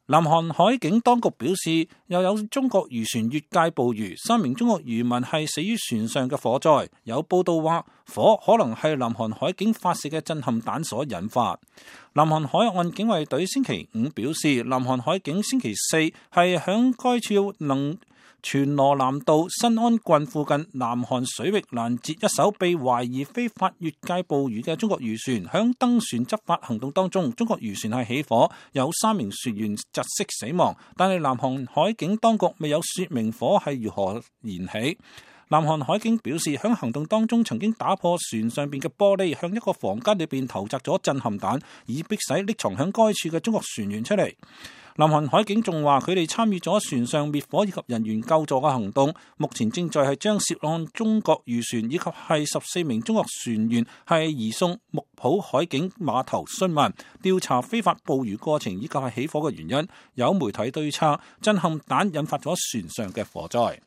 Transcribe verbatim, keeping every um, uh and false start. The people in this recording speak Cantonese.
南韓海警當局表示，又有中國漁船越界捕魚，三名中國漁民係死於船上嘅火災。有報道話，火可能係南韓海警發射嘅震撼彈所引發。南韓海岸警衛隊星期五表示，南韓海警星期四係響該處能全羅南道新安郡附近南韓水域攔截一艘被懷疑非法越界捕魚嘅中國漁船。響登船執法行動當中，中國漁船係起火，有三名船員窒息死亡，但係南韓海警當局未有說明火係如何燃起。南韓海警表示，響行動當中曾經打破船上邊嘅玻璃，向一個房間裏邊投擲咗震撼彈，以迫使匿藏響該處嘅中國船員出嚟。南韓海警仲話，佢哋參與咗船上滅火以及人員救助嘅行動，目前正在係將涉案中國漁船以及係十四名中國船員係移送木浦海警碼頭詢問，調查非法捕魚過程以及係起火嘅原因。有媒體對策，震撼彈引發咗船上嘅火災。